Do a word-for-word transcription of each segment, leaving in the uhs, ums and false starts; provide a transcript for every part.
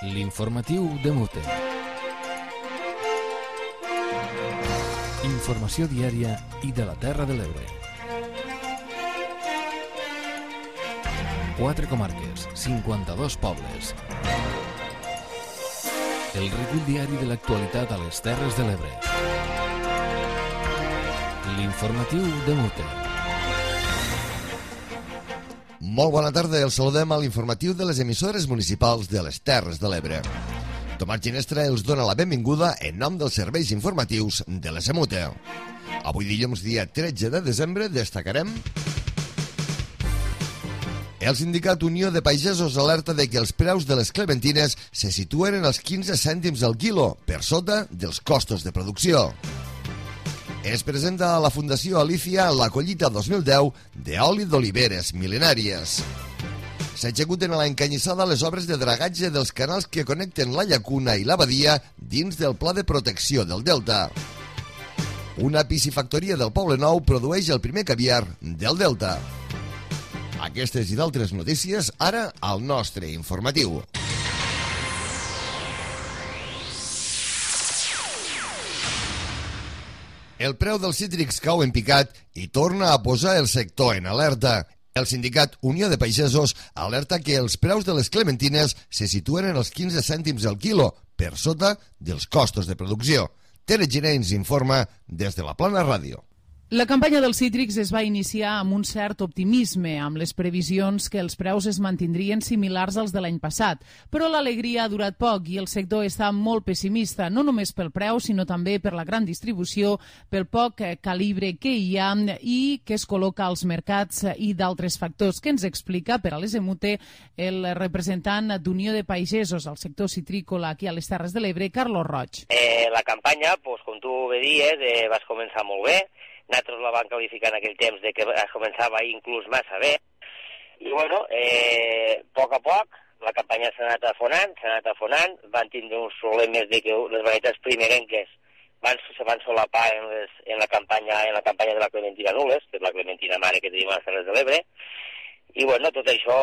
L'informatiu de Mute. Informació diària i de la Terra de l'Ebre. Quatre comarques, cinquanta-dos pobles. El recull diari de l'actualitat a les Terres de l'Ebre. L'informatiu de Mute. Molt bona tarda, els saludem a l'informatiu de les emissores municipals de les Terres de l'Ebre. Tomàs Ginestra els dona la benvinguda en nom dels serveis informatius de la Semute. Avui dilluns, dia tretze de desembre, destacarem... El sindicat Unió de Pagesos alerta de que els preus de les clementines se situen en els quinze cèntims al quilo, per sota dels costos de producció. Es presenta a la Fundació Alicia la collita dos mil deu d'oli d'oliveres mil·lenàries. S'executen a l'Encanyissada les obres de dragatge dels canals que connecten la llacuna i la badia dins del Pla de Protecció del Delta. Una piscifactoria del Poble Nou produeix el primer caviar del Delta. Aquestes i d'altres notícies ara al nostre informatiu. El preu dels cítrics cau en picat i torna a posar el sector en alerta. El sindicat Unió de Pagesos alerta que els preus de les clementines se situen en els quinze cèntims al quilo, per sota dels costos de producció. Tere Giner ens informa des de la Plana Ràdio. La campanya dels cítrics es va iniciar amb un cert optimisme, amb les previsions que els preus es mantindrien similars als de l'any passat. Però l'alegria ha durat poc i el sector està molt pessimista, no només pel preu, sinó també per la gran distribució, pel poc calibre que hi ha i que es col·loca als mercats i d'altres factors, que ens explica per a les Emute el representant d'Unió de Pagesos al sector citrícola aquí a les Terres de l'Ebre, Carlos Roig. Eh, la campanya, pues, com tu bé dies, eh, vas començar molt bé. Nosaltres la vam qualificar en aquell temps de que començava inclús massa bé. I, bueno, eh, a poc a poc, la campanya s'ha anat afonant, s'ha anat afonant, van tindre uns problemes de que les varietats primerenques van, se van solapar en, les, en, la campanya, en la campanya de la clementina nules, que és la clementina mare que tenim a les Terres de l'Ebre. I, bueno, tot això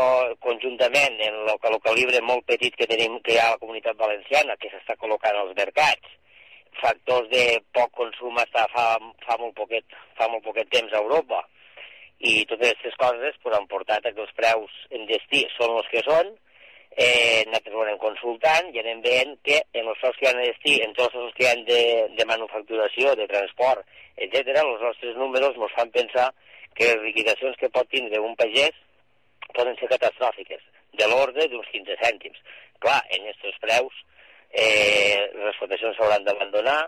conjuntament en el, el calibre molt petit que tenim, que hi ha a la comunitat valenciana, que s'està col·locant als mercats, factors de poc consum hasta fa, fa, molt poquet, fa molt poquet temps a Europa, i totes aquestes coses pues, han portat a que els preus en destí són els que són. Eh, nosaltres ho anem consultant i anem veient que en els preus que hi ha en destí, en tots els que hi ha de, de manufacturació, de transport, etcètera, els nostres números ens fan pensar que les liquidacions que pot tindre un pagès poden ser catastròfiques, de l'ordre d'uns quinze cèntims. Clar, en aquests preus Eh, les explotacions s'hauran d'abandonar,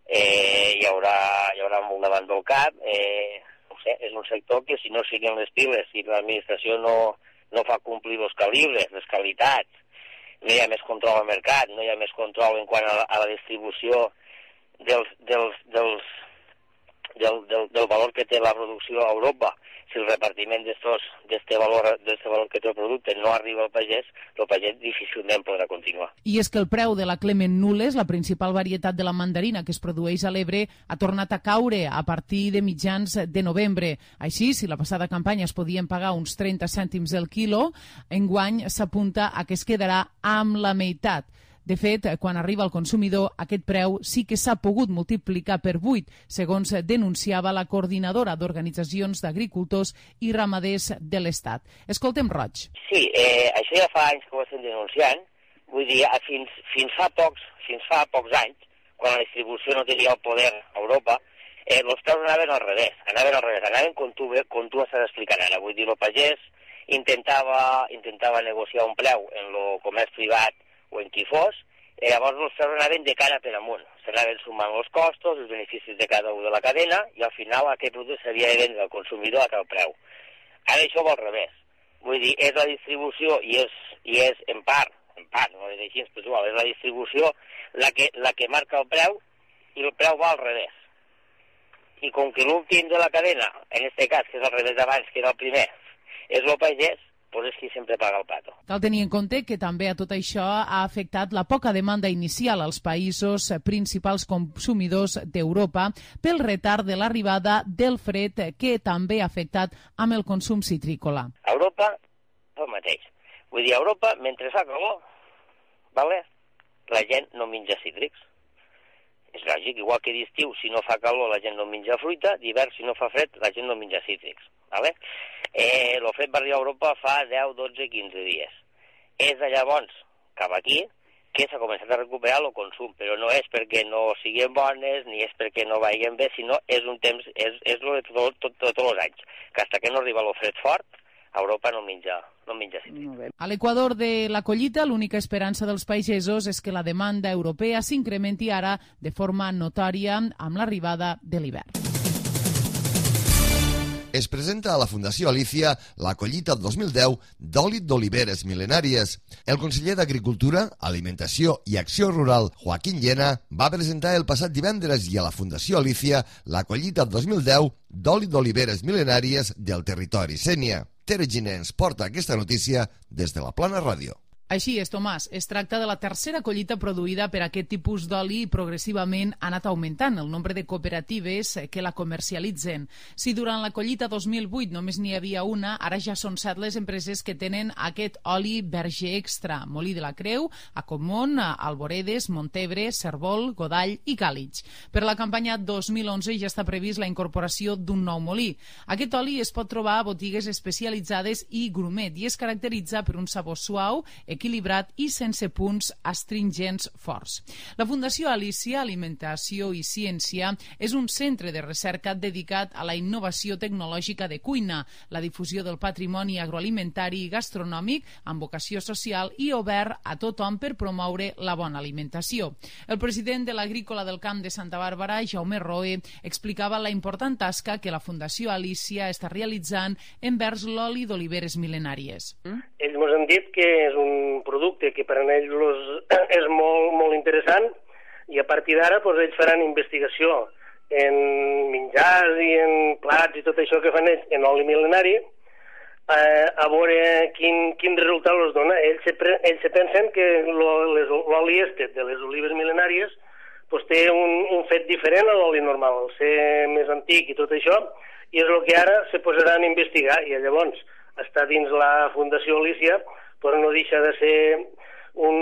eh, hi, haurà, hi haurà molt davant del cap, eh, no sé, és un sector que si no siguen les piles, si l'administració no, no fa complir els calibres, les qualitats, no hi ha més control al mercat, no hi ha més control en quant a la, a la distribució dels, dels, dels, del, del, del valor que té la producció a Europa. Si el repartiment d'aquest valor, valor que té el producte no arriba al pagès, el pagès difícilment podrà continuar. I és que el preu de la Clement Nules, la principal varietat de la mandarina que es produeix a l'Ebre, ha tornat a caure a partir de mitjans de novembre. Així, si la passada campanya es podien pagar uns trenta cèntims el quilo, enguany s'apunta a que es quedarà amb la meitat. De fet, quan arriba al consumidor, aquest preu sí que s'ha pogut multiplicar per vuit, segons denunciava la coordinadora d'organitzacions d'agricultors i ramaders de l'Estat. Escoltem Roig. Sí, eh, això ja fa anys que ho estem denunciant. Vull dir, fins, fins, fa pocs, fins fa pocs anys, quan la distribució no tenia el poder a Europa, eh, els preus anaven al revés, anaven al revés, anaven com tu, com tu estàs explicant ara. Vull dir, el pagès intentava, intentava negociar un preu en el comerç privat o en qui fos, i llavors els preus anaven de cara per amunt. S'anaven sumant els costos, els beneficis de cada un de la cadena, i al final aquest producte s'havia de vendre al consumidor a tal preu. Ara això va al revés. Vull dir, és la distribució, i és, i és en part, en part, no és així, però igual, és la distribució la que, la que marca el preu, i el preu va al revés. I com que l'últim de la cadena, en aquest cas, que és al revés d'abans, que era el primer, és el pagès, pues és qui sempre paga el pato. Cal tenir en compte que també a tot això ha afectat la poca demanda inicial als països principals consumidors d'Europa pel retard de l'arribada del fred que també ha afectat amb el consum citrícola. A Europa, el mateix. Vull dir, a Europa, mentre fa calor, vale? La gent no menja cítrics. És lògic, igual que d'estiu, si no fa calor, la gent no menja fruita, d'hivern, si no fa fred, la gent no menja cítrics. Vale? Eh, lo fet va arribar a Europa fa deu, dotze, quinze dies. És de llavors cap aquí que s'ha començat a recuperar el consum, però no és perquè no siguin bones, ni és perquè no vagin bé, sinó és un temps, és, és lo de tot, tot, tot, tots els anys, que fins que no arriba el fred fort, a Europa no menja, no menja cítrics. A l'Equador de la collita, l'única esperança dels pagesos és que la demanda europea s'incrementi ara de forma notòria amb l'arribada de l'hivern. Es presenta a la Fundació Alicia la collita dos mil deu d'oli d'oliveres mil·lenàries. El conseller d'Agricultura, Alimentació i Acció Rural, Joaquín Llena, va presentar el passat divendres i a la Fundació Alicia la collita dos mil deu d'oli d'oliveres mil·lenàries del territori Sénia. Tere Giner ens porta aquesta notícia des de la Plana Ràdio. Així és, Tomàs. Es tracta de la tercera collita produïda per aquest tipus d'oli i progressivament ha anat augmentant el nombre de cooperatives que la comercialitzen. Si durant la collita dos mil vuit només n'hi havia una, ara ja són set les empreses que tenen aquest oli verge extra. Molí de la Creu, Acomont, Alboredes, Montebre, Cervol, Godall i Càlig. Per la campanya dos mil onze ja està previst la incorporació d'un nou molí. Aquest oli es pot trobar a botigues especialitzades i grumet i es caracteritza per un sabor suau, equilibrat i sense punts astringents forts. La Fundació Alicia, Alimentació i Ciència és un centre de recerca dedicat a la innovació tecnològica de cuina, la difusió del patrimoni agroalimentari i gastronòmic amb vocació social i obert a tothom per promoure la bona alimentació. El president de l'Agrícola del Camp de Santa Bàrbara, Jaume Roe, explicava la important tasca que la Fundació Alicia està realitzant envers l'oli d'oliveres mil·lenàries. Ells ens han dit que és un producte que per a ells los, és molt, molt interessant i a partir d'ara pues, ells faran investigació en menjars i en plats i tot això que fan ells en oli mil·lenari eh, a veure quin, quin resultat els dona. Ells se, pre, ells se pensen que l'oli este de les olives mil·lenàries pues, té un, un fet diferent a l'oli normal, el ser més antic i tot això, i és el que ara se posaran a investigar i llavors està dins la Fundació Alicia però no deixa de ser un,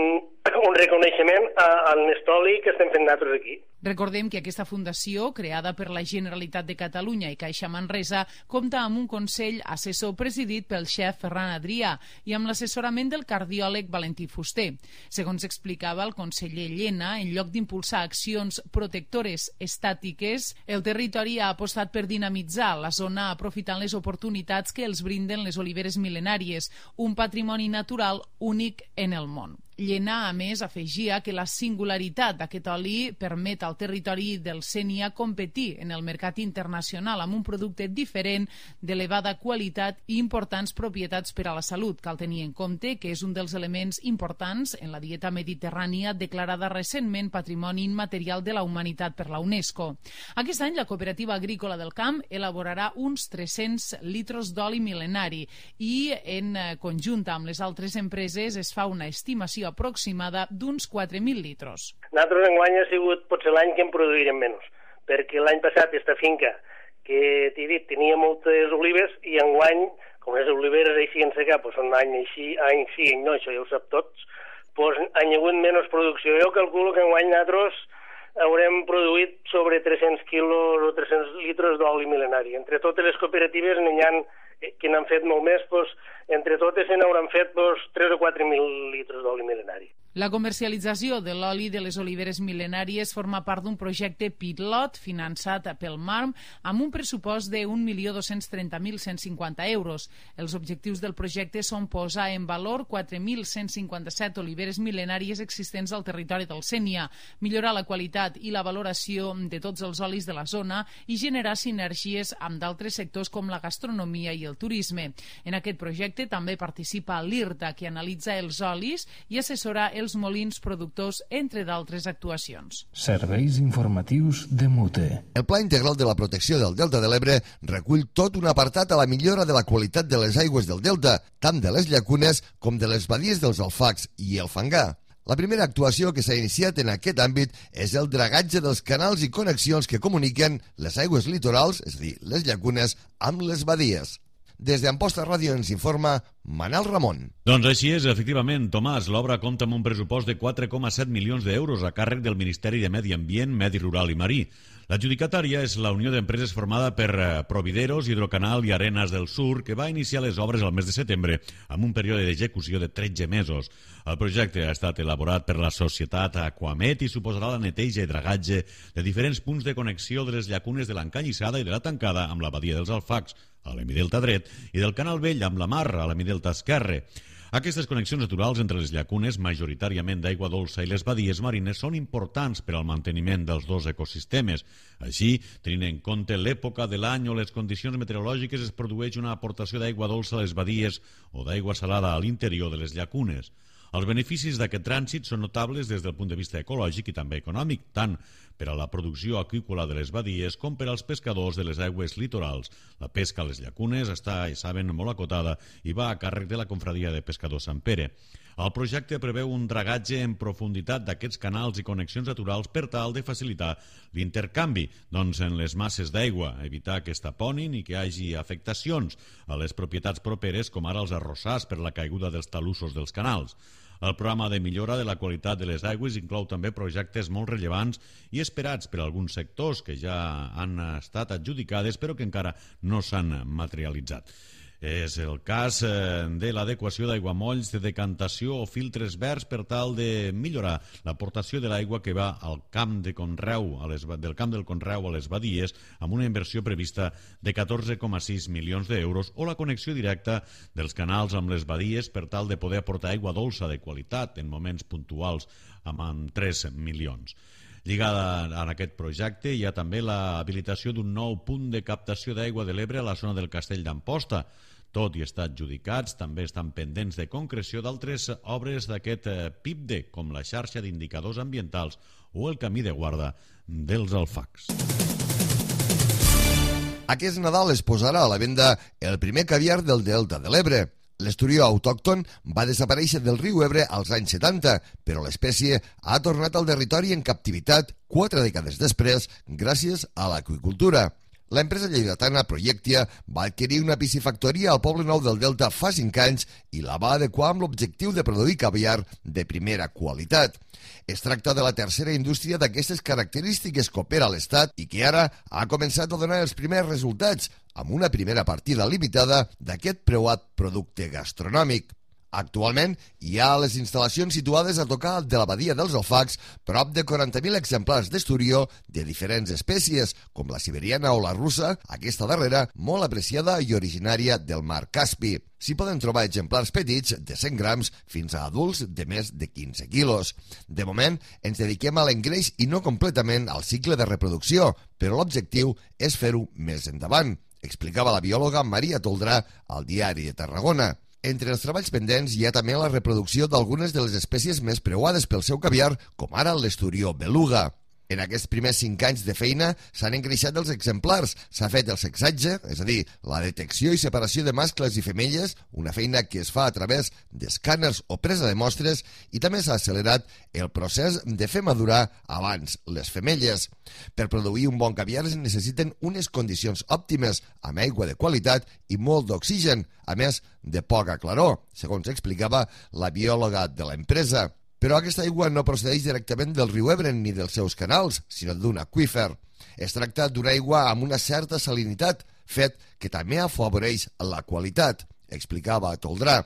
un reconeixement al Nestoli que estem fent nosaltres aquí. Recordem que aquesta fundació, creada per la Generalitat de Catalunya i Caixa Manresa, compta amb un consell assessor presidit pel xef Ferran Adrià i amb l'assessorament del cardiòleg Valentí Fuster. Segons explicava el conseller Llena, en lloc d'impulsar accions protectores estàtiques, el territori ha apostat per dinamitzar la zona aprofitant les oportunitats que els brinden les oliveres mil·lenàries, un patrimoni natural únic en el món. Llena, a més, afegia que la singularitat d'aquest oli permet al territori del Sénia competir en el mercat internacional amb un producte diferent, d'elevada qualitat i importants propietats per a la salut. Cal tenir en compte que és un dels elements importants en la dieta mediterrània declarada recentment Patrimoni Immaterial de la Humanitat per la UNESCO. Aquest any, la Cooperativa Agrícola del Camp elaborarà uns tres-cents litres d'oli mil·lenari i, en conjunt amb les altres empreses, es fa una estimació aproximada d'uns quatre mil litres. Nosaltres enguany ha sigut potser l'any que en produirem menys, perquè l'any passat aquesta finca que t'he dit tenia moltes olives i enguany, com les oliveres així en secar, doncs són any així, any sí, any no, això ja ho sap tots, doncs han hi hagut menys producció. Jo calculo que enguany nosaltres haurem produït sobre tres-cents quilos o tres-cents litres d'oli mil·lenari. Entre totes les cooperatives n'hi ha que n'han fet molt més, doncs, entre totes se n'hauran fet doncs, tres o quatre mil litres d'oli mil·lenari. La comercialització de l'oli de les oliveres mil·lenàries forma part d'un projecte pilot finançat pel MARM amb un pressupost de un milió dos-cents trenta mil cent cinquanta euros. Els objectius del projecte són posar en valor quatre mil cent cinquanta-set oliveres mil·lenàries existents al territori del Sénia, millorar la qualitat i la valoració de tots els olis de la zona i generar sinergies amb d'altres sectors com la gastronomia i el turisme. En aquest projecte també participa l'IRTA, que analitza els olis i assessora els molins productors, entre d'altres actuacions. Serveis informatius de Mute. El Pla Integral de la Protecció del Delta de l'Ebre recull tot un apartat a la millora de la qualitat de les aigües del delta, tant de les llacunes com de les badies dels alfacs i el fangar. La primera actuació que s'ha iniciat en aquest àmbit és el dragatge dels canals i connexions que comuniquen les aigües litorals, és a dir, les llacunes, amb les badies. Des d'Amposta Ràdio ens informa Manel Ramon. Doncs així és, efectivament, Tomàs. L'obra compta amb un pressupost de quatre coma set milions d'euros a càrrec del Ministeri de Medi Ambient, Medi Rural i Marí. L'adjudicatària és la Unió d'Empreses formada per Provideros, Hidrocanal i Arenas del Sur, que va iniciar les obres al mes de setembre amb un període d'execució de tretze mesos. El projecte ha estat elaborat per la societat Aquamet i suposarà la neteja i dragatge de diferents punts de connexió de les llacunes de l'Encanyissada i de la Tancada amb la badia dels Alfacs, a l'hemidelta dret, i del Canal Vell amb la Mar, a l'hemidelta esquerre. Aquestes connexions naturals entre les llacunes, majoritàriament d'aigua dolça, i les badies marines són importants per al manteniment dels dos ecosistemes. Així, tenint en compte l'època de l'any o les condicions meteorològiques, es produeix una aportació d'aigua dolça a les badies o d'aigua salada a l'interior de les llacunes. Els beneficis d'aquest trànsit són notables des del punt de vista ecològic i també econòmic, tant per a la producció aqüícola de les badies com per als pescadors de les aigües litorals. La pesca a les llacunes està, ja saben, molt acotada i va a càrrec de la Confraria de Pescadors Sant Pere. El projecte preveu un dragatge en profunditat d'aquests canals i connexions naturals per tal de facilitar l'intercanvi doncs, en les masses d'aigua, evitar que es taponin i que hi hagi afectacions a les propietats properes, com ara els arrossars per la caiguda dels talussos dels canals. El programa de millora de la qualitat de les aigües inclou també projectes molt rellevants i esperats per alguns sectors que ja han estat adjudicades però que encara no s'han materialitzat. És el cas de l'adequació d'aiguamolls de decantació o filtres verds per tal de millorar l'aportació de l'aigua que va al camp de conreu, a les, del camp del conreu a les badies, amb una inversió prevista de catorze coma sis milions d'euros, o la connexió directa dels canals amb les badies per tal de poder aportar aigua dolça de qualitat en moments puntuals amb tres milions. Lligada a aquest projecte hi ha també l'habilitació d'un nou punt de captació d'aigua de l'Ebre a la zona del Castell d'Amposta. Tot i estar adjudicats, també estan pendents de concreció d'altres obres d'aquest P I B D, com la xarxa d'indicadors ambientals o el camí de guarda dels Alfacs. Aquest Nadal es posarà a la venda el primer caviar del Delta de l'Ebre. L'esturió autòcton va desaparèixer del riu Ebre als anys setanta, però l'espècie ha tornat al territori en captivitat quatre dècades després gràcies a l'aqüicultura. L'empresa lleidatana Projectia va adquirir una piscifactoria al Poble Nou del Delta fa cinc anys i la va adequar amb l'objectiu de produir caviar de primera qualitat. Es tracta de la tercera indústria d'aquestes característiques que opera a l'Estat i que ara ha començat a donar els primers resultats amb una primera partida limitada d'aquest preuat producte gastronòmic. Actualment hi ha les instal·lacions situades a tocar de la badia dels Alfacs prop de quaranta mil exemplars d'esturió de diferents espècies, com la siberiana o la russa, aquesta darrera molt apreciada i originària del mar Caspi. S'hi poden trobar exemplars petits de cent grams fins a adults de més de quinze quilos. De moment ens dediquem a l'engreix i no completament al cicle de reproducció, però l'objectiu és fer-ho més endavant, explicava la biòloga Maria Toldrà al Diari de Tarragona. Entre els treballs pendents hi ha també la reproducció d'algunes de les espècies més preuades pel seu caviar, com ara l'esturió beluga. En aquests primers cinc anys de feina s'han engreixat els exemplars, s'ha fet el sexatge, és a dir, la detecció i separació de mascles i femelles, una feina que es fa a través d'escàners o presa de mostres, i també s'ha accelerat el procés de fer madurar abans les femelles. Per produir un bon caviar es necessiten unes condicions òptimes, amb aigua de qualitat i molt d'oxigen, a més de poca claror, segons explicava la biòloga de l'empresa. Però aquesta aigua no procedeix directament del riu Ebre ni dels seus canals, sinó d'un aqüífer. Es tracta d'una aigua amb una certa salinitat, fet que també afavoreix la qualitat, explicava Toldrà.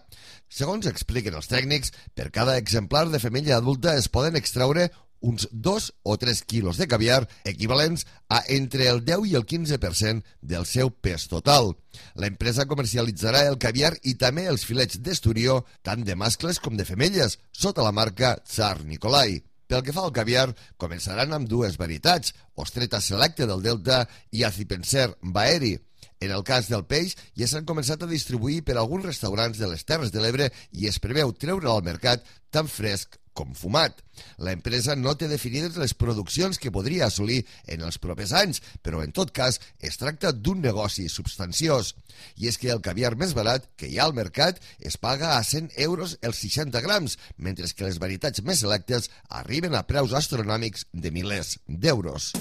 Segons expliquen els tècnics, per cada exemplar de femella adulta es poden extraure uns dos o tres quilos de caviar equivalents a entre el deu i el quinze per cent del seu pes total. L'empresa comercialitzarà el caviar i també els filets d'esturió, tant de mascles com de femelles, sota la marca Tsar Nikolai. Pel que fa al caviar, començaran amb dues varietats, Ostreta Selecte del Delta i Acipenser Baeri. En el cas del peix, ja s'han començat a distribuir per alguns restaurants de les Terres de l'Ebre i es preveu treure'l al mercat tan fresc com fumat. L'empresa no té definides les produccions que podria assolir en els propers anys, però en tot cas es tracta d'un negoci substanciós. I és que el caviar més barat que hi ha al mercat es paga a cent euros els seixanta grams, mentre que les varietats més selectes arriben a preus astronòmics de milers d'euros.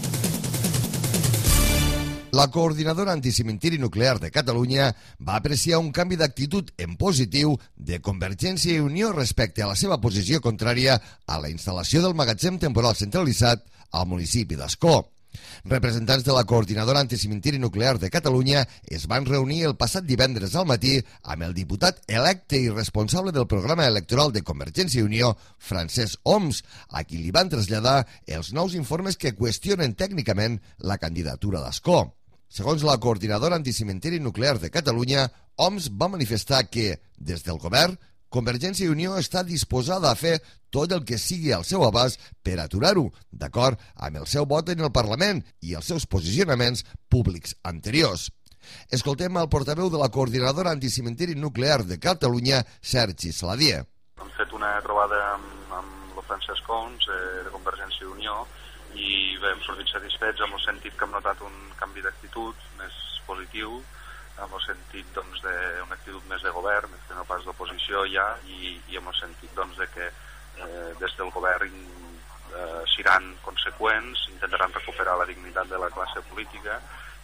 La coordinadora anticimentiri nuclear de Catalunya va apreciar un canvi d'actitud en positiu de Convergència i Unió respecte a la seva posició contrària a la instal·lació del magatzem temporal centralitzat al municipi d'Ascó. Representants de la coordinadora anticimentiri nuclear de Catalunya es van reunir el passat divendres al matí amb el diputat electe i responsable del programa electoral de Convergència i Unió, Francesc Homs, a qui li van traslladar els nous informes que qüestionen tècnicament la candidatura d'Ascó. Segons la coordinadora anticimentiri nuclear de Catalunya, Homs va manifestar que, des del govern, Convergència i Unió està disposada a fer tot el que sigui al seu abast per aturar-ho, d'acord amb el seu vot en el Parlament i els seus posicionaments públics anteriors. Escoltem el portaveu de la coordinadora anticimentiri nuclear de Catalunya, Sergi Saladier. Hem fet una trobada amb, amb el Francesc Homs, eh, de Convergència i Unió, i bé, hem sortit satisfets amb el sentit que hem notat un canvi d'actitud més positiu, amb el sentit doncs, d'una actitud més de govern, més que no pas d'oposició ja, i, i amb el sentit doncs, de que eh, des del govern eh, seran conseqüents, intentaran recuperar la dignitat de la classe política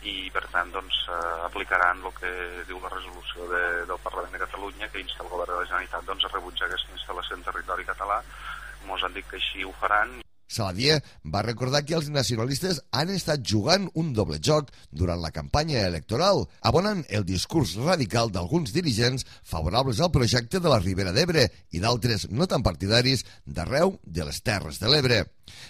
i per tant doncs, eh, aplicaran el que diu la resolució de, del Parlament de Catalunya que insta el govern de la Generalitat doncs, a rebutjar aquesta instal·lació en territori català. Ens han dit que així ho faran. Saladier va recordar que els nacionalistes han estat jugant un doble joc durant la campanya electoral, abonant el discurs radical d'alguns dirigents favorables al projecte de la Ribera d'Ebre i d'altres no tan partidaris d'arreu de les Terres de l'Ebre.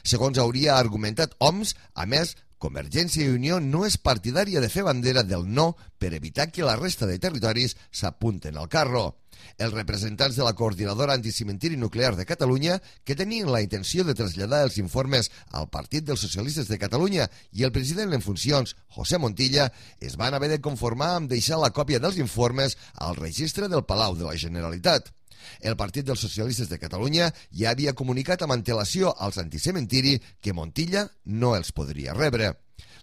Segons hauria argumentat Homs, a més, Convergència i Unió no és partidària de fer bandera del no per evitar que la resta de territoris s'apunten al carro. Els representants de la coordinadora anticimentiri nuclear de Catalunya, que tenien la intenció de traslladar els informes al Partit dels Socialistes de Catalunya i el president en funcions, José Montilla, es van haver de conformar amb deixar la còpia dels informes al registre del Palau de la Generalitat. El Partit dels Socialistes de Catalunya ja havia comunicat amb antelació als anticementiri que Montilla no els podria rebre.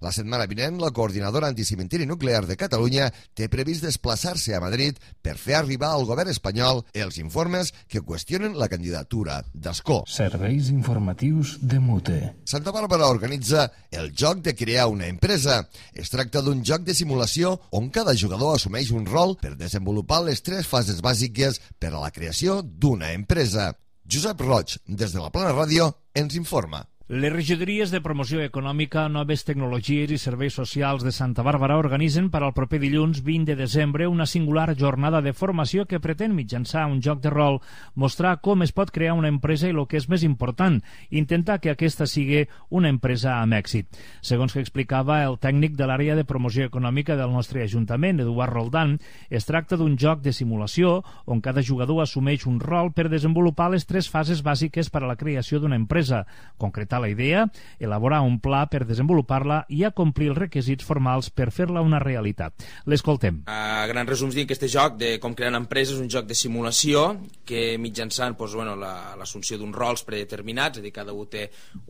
La setmana vinent, la coordinadora anticimentiri nuclear de Catalunya té previst desplaçar-se a Madrid per fer arribar al govern espanyol els informes que qüestionen la candidatura d'Ascó. Serveis informatius de Mute. Santa Bàrbara organitza el joc de crear una empresa. Es tracta d'un joc de simulació on cada jugador assumeix un rol per desenvolupar les tres fases bàsiques per a la creació d'una empresa. Josep Roig, des de la Plana Ràdio, ens informa. Les regidories de promoció econòmica, noves tecnologies i serveis socials de Santa Bàrbara organitzen per al proper dilluns vint de desembre una singular jornada de formació que pretén mitjançar un joc de rol mostrar com es pot crear una empresa i el que és més important, intentar que aquesta sigui una empresa amb èxit. Segons que explicava el tècnic de l'àrea de promoció econòmica del nostre Ajuntament, Eduard Roldán, es tracta d'un joc de simulació on cada jugador assumeix un rol per desenvolupar les tres fases bàsiques per a la creació d'una empresa, concretar la idea, elaborar un pla per desenvolupar-la i acomplir els requisits formals per fer-la una realitat. L'escoltem. A grans resums dic que aquest joc de com crear una empresa és un joc de simulació que mitjançant doncs, bueno, l'assumpció d'uns rols predeterminats, és a dir, cada un té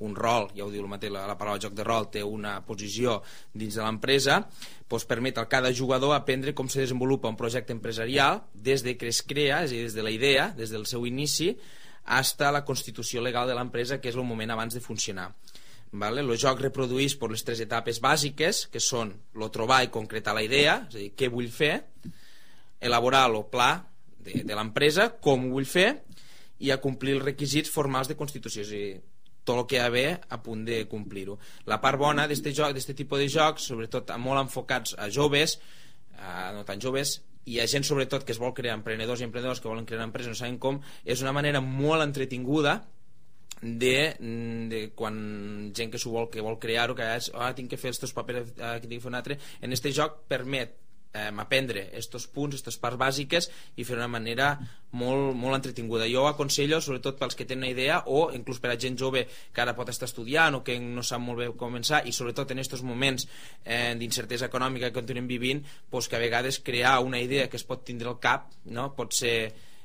un rol, ja ho diu el mateix, la, la paraula joc de rol té una posició dins de l'empresa, doncs permet a cada jugador aprendre com se desenvolupa un projecte empresarial des de que es crea, és a dir, des de la idea, des del seu inici, fins a la constitució legal de l'empresa, que és el moment abans de funcionar. Vale? El joc reprodueix per les tres etapes bàsiques, que són el trobar i concretar la idea, és a dir, què vull fer, elaborar el pla de, de l'empresa, com ho vull fer, i acomplir els requisits formals de constitució, és a dir, tot el que hi ha d'haver a punt de complir-ho. La part bona d'aquest joc, d'aquest tipus de jocs, sobretot molt enfocats a joves, a no tan joves, i hi ha gent sobretot que es vol crear, emprenedors i emprenedors que volen crear una empresa, no saben com, és una manera molt entretinguda de, de quan gent que s'ho vol, que vol crear-ho, que és, ah, tinc que fer els teus papers, ah, que tinc que fer un altre. En este joc permet eh, aprendre estos punts, aquestes parts bàsiques i fer una manera molt, molt entretinguda. Jo aconsello, sobretot pels que tenen una idea o inclús per a gent jove que ara pot estar estudiant o que no sap molt bé com començar, i sobretot en aquests moments eh, d'incertesa econòmica que continuem vivint, pues que a vegades crear una idea que es pot tindre al cap, no? Pot ser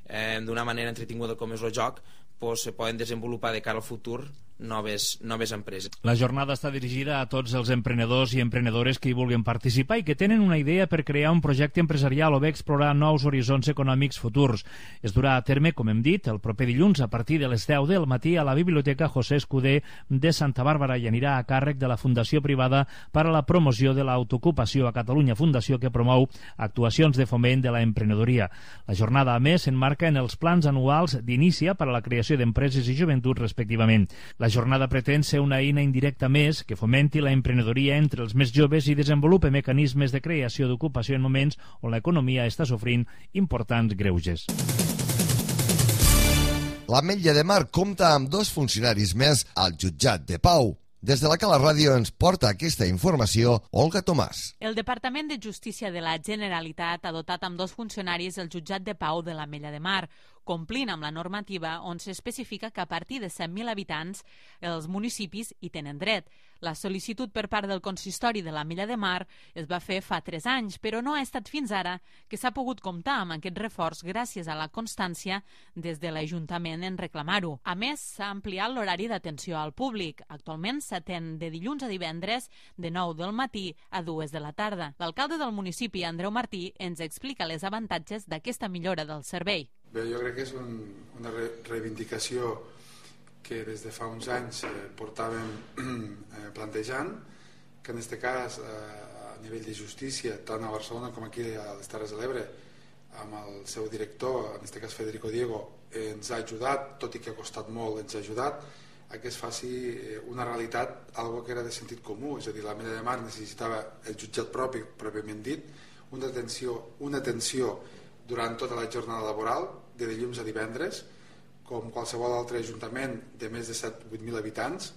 eh, d'una manera entretinguda com és el joc, pues, se poden desenvolupar de cara al futur noves, noves empreses. La jornada està dirigida a tots els emprenedors i emprenedores que hi vulguin participar i que tenen una idea per crear un projecte empresarial o bé explorar nous horitzons econòmics futurs. Es durà a terme, com hem dit, el proper dilluns a partir de les deu del matí a la Biblioteca José Escudé de Santa Bàrbara i anirà a càrrec de la Fundació Privada per a la Promoció de l'Autoocupació a Catalunya, fundació que promou actuacions de foment de la emprenedoria. La jornada, a més, s'enmarca en els plans anuals d'Inicia per a la creació d'empreses i joventut, respectivament. La jornada pretén ser una eina indirecta més que fomenti la emprenedoria entre els més joves i desenvolupe mecanismes de creació d'ocupació en moments on l'economia està sofrint importants greuges. L'Ametlla de Mar compta amb dos funcionaris més al jutjat de Pau. Des de la Cala Ràdio ens porta aquesta informació Olga Tomàs. El Departament de Justícia de la Generalitat ha dotat amb dos funcionaris el jutjat de Pau de l'Ametlla de Mar, complint amb la normativa on s'especifica que a partir de cent mil habitants els municipis hi tenen dret. La sol·licitud per part del consistori de l'Ametlla de Mar es va fer fa tres anys, però no ha estat fins ara que s'ha pogut comptar amb aquest reforç gràcies a la constància des de l'Ajuntament en reclamar-ho. A més, s'ha ampliat l'horari d'atenció al públic. Actualment s'atén de dilluns a divendres de nou del matí a dues de la tarda. L'alcalde del municipi, Andreu Martí, ens explica les avantatges d'aquesta millora del servei. Bé, jo crec que és un, una re reivindicació que des de fa uns anys eh, portàvem eh, plantejant, que en aquest cas eh, a nivell de justícia, tant a Barcelona com aquí a les Terres de l'Ebre, amb el seu director, en aquest cas Federico Diego, eh, ens ha ajudat, tot i que ha costat molt, ens ha ajudat a que es faci una realitat, algo que era de sentit comú, és a dir, l'Ametlla de Mar necessitava el jutjat propi, pròpiament dit, una atenció, una atenció durant tota la jornada laboral, de dilluns a divendres, com qualsevol altre ajuntament de més de set o vuit mil habitants,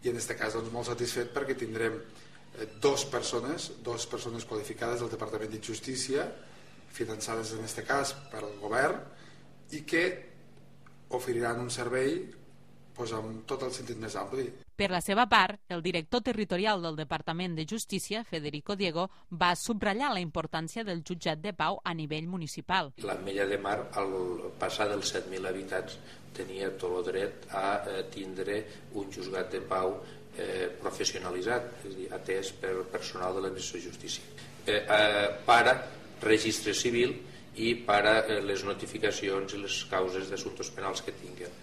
i en aquest cas doncs, molt satisfet perquè tindrem eh, dos persones, dos persones qualificades del Departament de Justícia, finançades en aquest cas per al govern, i que oferiran un servei doncs, amb tot el sentit més ampli. Per la seva part, el director territorial del Departament de Justícia, Federico Diego, va subratllar la importància del jutjat de Pau a nivell municipal. L'Ametlla de Mar, al passar dels set mil habitants, tenia tot el dret a eh, tindre un juzgat de Pau eh, professionalitzat, és a dir, atès pel personal de l'administració de justícia. Eh, eh, para registre civil i para eh, les notificacions i les causes d'assumptes penals que tinguen.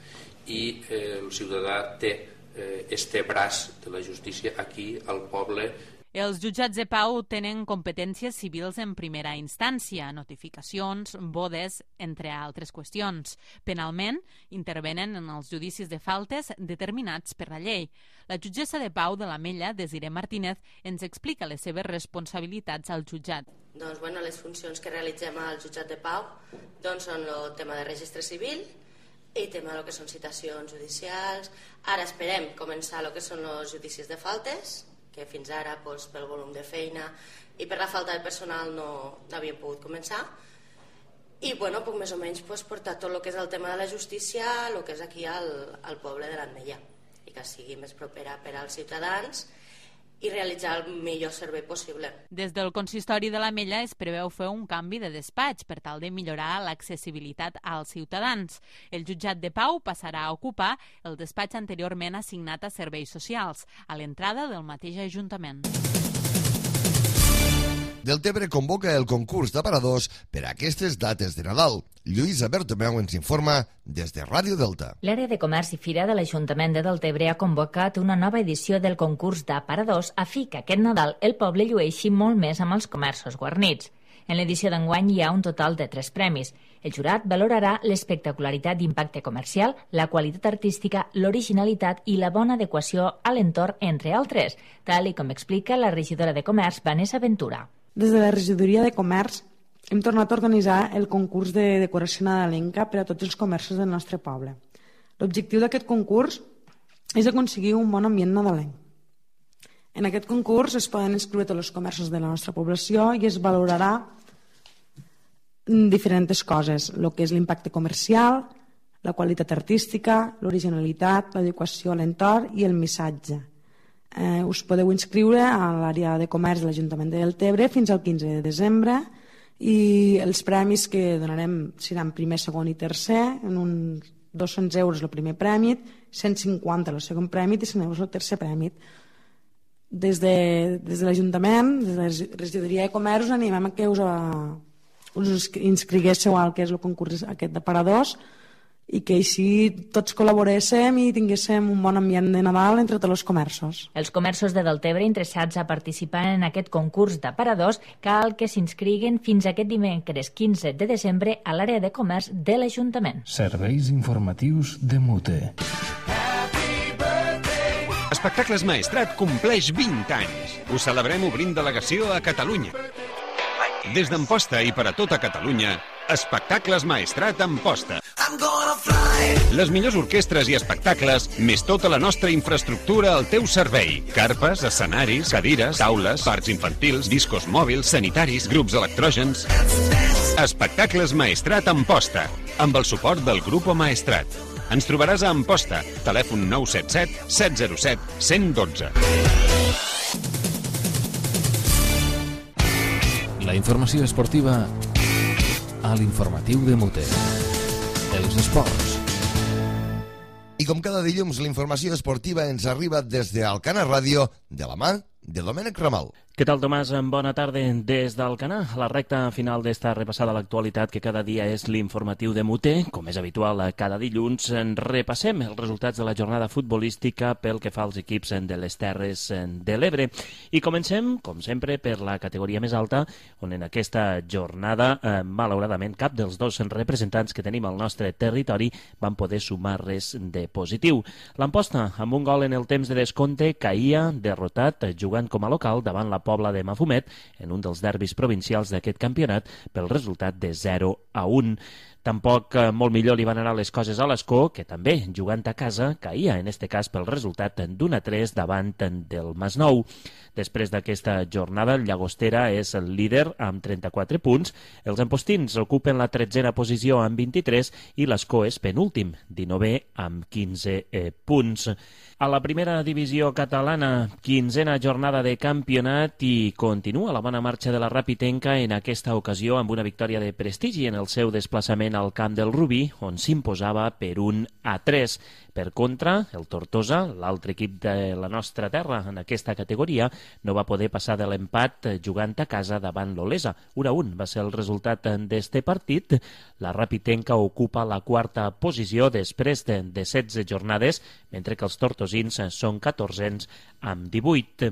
I eh, el ciutadà té Eh, este braç de la justícia aquí al poble. Els jutjats de Pau tenen competències civils en primera instància, notificacions, bodes, entre altres qüestions. Penalment, intervenen en els judicis de faltes determinats per la llei. La jutgessa de Pau de l'Ametlla, Desiré Martínez, ens explica les seves responsabilitats al jutjat. Doncs, bueno, les funcions que realitzem al jutjat de Pau doncs, són el tema de registre civil, i tema del que són citacions judicials. Ara esperem començar el que són els judicis de faltes, que fins ara doncs, pel volum de feina i per la falta de personal no, no havien pogut començar. I bueno, puc més o menys pues, portar tot el que és el tema de la justícia, el que és aquí al, al poble de l'Ametlla, i que sigui més propera per als ciutadans i realitzar el millor servei possible. Des del consistori de l'Ametlla es preveu fer un canvi de despatx per tal de millorar l'accessibilitat als ciutadans. El jutjat de Pau passarà a ocupar el despatx anteriorment assignat a serveis socials, a l'entrada del mateix Ajuntament. Deltebre convoca el concurs d'aparadors per a aquestes dates de Nadal. Lluïsa Bertomeu ens informa des de Ràdio Delta. L'àrea de comerç i fira de l'Ajuntament de Deltebre ha convocat una nova edició del concurs d'aparadors a fi que aquest Nadal el poble llueixi molt més amb els comerços guarnits. En l'edició d'enguany hi ha un total de tres premis. El jurat valorarà l'espectacularitat d'impacte comercial, la qualitat artística, l'originalitat i la bona adequació a l'entorn, entre altres, tal i com explica la regidora de Comerç, Vanessa Ventura. Des de la regidoria de Comerç hem tornat a organitzar el concurs de decoració nadalenca per a tots els comerços del nostre poble. L'objectiu d'aquest concurs és aconseguir un bon ambient nadalenc. En aquest concurs es poden inscriure tots els comerços de la nostra població i es valorarà diferents coses, el que és l'impacte comercial, la qualitat artística, l'originalitat, l'adequació a l'entorn i el missatge. Eh, us podeu inscriure a l'àrea de comerç de l'Ajuntament de Deltebre fins al quinze de desembre i els premis que donarem seran primer, segon i tercer en un dos-cents euros el primer prèmit, cent cinquanta el segon prèmit i cent euros el tercer prèmit. Des de, des de l'Ajuntament, des de la Regidoria de Comerç, us animem a que us, a, us inscriguéssiu al que és el concurs aquest de paradors i que així tots col·laboréssim i tinguéssim un bon ambient de Nadal entre tots els comerços. Els comerços de Deltebre interessats a participar en aquest concurs d'aparadors cal que s'inscriguen fins aquest dimecres quinze de desembre a l'àrea de comerç de l'Ajuntament. Serveis informatius de Mute. Espectacles Maestrat compleix vint anys. Ho celebrem obrint delegació a Catalunya. Des d'Amposta i per a tota Catalunya, Espectacles Maestrat Amposta. Les millors orquestres i espectacles, més tota la nostra infraestructura al teu servei. Carpes, escenaris, cadires, taules, parcs infantils, discos mòbils, sanitaris, grups electrògens. Espectacles Maestrat Amposta, amb el suport del Grupo Maestrat. Ens trobaràs a Amposta, telèfon nou set set, set zero set, cent dotze. La informació esportiva a l'informatiu de Mute. Els esports. I com cada dilluns, la informació esportiva ens arriba des d'Alcana Ràdio, de la mà de Domènec Ramal. Què tal, Tomàs? Bona tarda des d'Alcanar. A la recta final d'esta repassada a l'actualitat, que cada dia és l'informatiu de Mute, com és habitual cada dilluns, repassem els resultats de la jornada futbolística pel que fa als equips de les Terres de l'Ebre. I comencem, com sempre, per la categoria més alta, on en aquesta jornada, eh, malauradament, cap dels dos representants que tenim al nostre territori van poder sumar res de positiu. L'Amposta, amb un gol en el temps de descompte, caïa derrotat, jugant com a local davant la Pobla de Mafumet en un dels derbis provincials d'aquest campionat pel resultat de zero a un. Tampoc eh, molt millor li van anar les coses a l'Escó, que també, jugant a casa, caïa, en este cas, pel resultat d'un a tres davant del Masnou. Després d'aquesta jornada, el Llagostera és el líder amb trenta-quatre punts, els ampostins ocupen la tretzena posició amb vint-i-tres i l'Escó és penúltim, dinovè amb quinze eh, punts. A la primera divisió catalana, quinzena jornada de campionat i continua la bona marxa de la Rapitenca en aquesta ocasió amb una victòria de prestigi en el seu desplaçament al camp del Rubí, on s'imposava per un a tres. Per contra, el Tortosa, l'altre equip de la nostra terra en aquesta categoria, no va poder passar de l'empat jugant a casa davant l'Olesa. un a un va ser el resultat d'este partit. La Rapitenca ocupa la quarta posició després de, de setze jornades, mentre que els tortosins són catorzens amb divuit.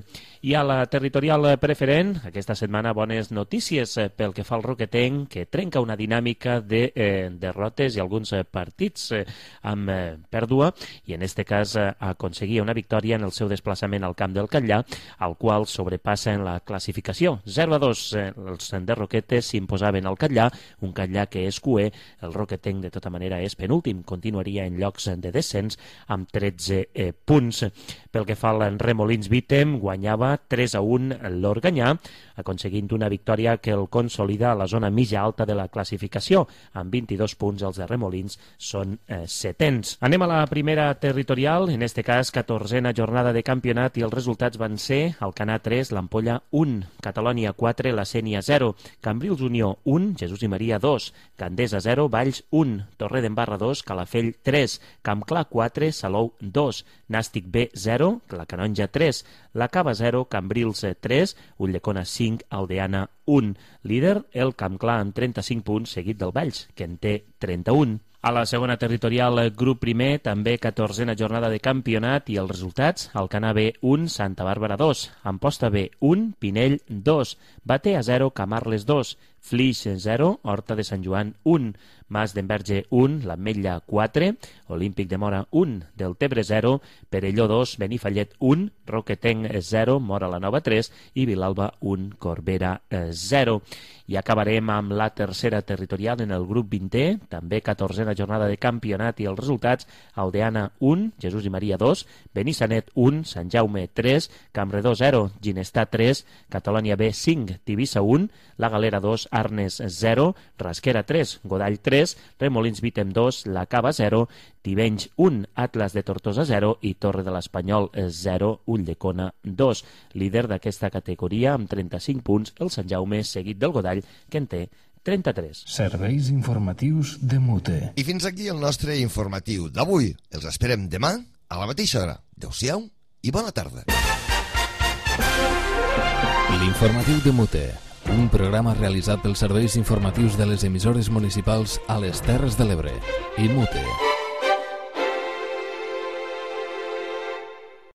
I a la territorial preferent, aquesta setmana bones notícies pel que fa al Roquetenc, que trenca una dinàmica de eh, derrotes i alguns partits eh, amb eh, pèrdua, i en este cas eh, aconseguia una victòria en el seu desplaçament al camp del Catllà, al qual sobrepassa en la classificació. zero a dos eh, els de Roquetes s'imposaven al Catllà, un Catllà que és cuer, el Roquetenc de tota manera és penúltim, continuaria en llocs de descens amb tretze eh, punts. Pel que fa al Remolins Vítem, guanyava tres a un l'Organyà, aconseguint una victòria que el consolida a la zona mitja alta de la classificació. Amb vint-i-dos punts els de Remolins són eh, setens. Anem a la primera territorial, en este cas catorzena jornada de campionat, i els resultats van ser Alcanar tres, l'Ampolla un, Catalònia quatre, la Sénia zero, Cambrils Unió un, Jesús i Maria dos, Gandesa zero, Valls un, Torredembarra dos, Calafell tres, Campclar quatre, Salou dos, Nàstic B zero, la Canonja tres, la Cava zero, Cambrils tres, Ulldecona cinc, Aldeana un. Líder, el Campclar amb trenta-cinc punts, seguit del Valls, que en té trenta-un. A la segona territorial, grup primer, també catorzena jornada de campionat, i els resultats: Alcanar B un, Santa Bàrbara dos, Amposta B un, Pinell dos, Batea zero, Camarles dos, Flix zero, Horta de Sant Joan un, Mas d'Enverge un, l'Ametlla quatre, Olímpic de Mora un, Deltebre zero, Perelló dos, Benifallet un, Roquetenc zero, Mora la Nova tres i Vilalba un, Corbera zero. I acabarem amb la tercera territorial en el grup vintè, també catorzena jornada de campionat, i els resultats: Aldeana un, Jesús i Maria dos, Benissanet un, Sant Jaume tres, Campredó zero, Ginestar tres, Catalònia B cinc, Tivissa un, La Galera dos, Arnes zero, Rasquera tres, Godall tres, Remolins Vítem dos, La Cava zero, Tivenys un, Atlas de Tortosa zero i Torre de l'Espanyol zero, Ulldecona dos. Líder d'aquesta categoria amb trenta-cinc punts, el Sant Jaume, seguit del Godall, que en té trenta-tres. Serveis informatius de Mute. I fins aquí el nostre informatiu d'avui. Els esperem demà a la mateixa hora. Adéu-siau i bona tarda. L'informatiu de Mute, un programa realitzat pels serveis informatius de les emissores municipals a les Terres de l'Ebre i Mute.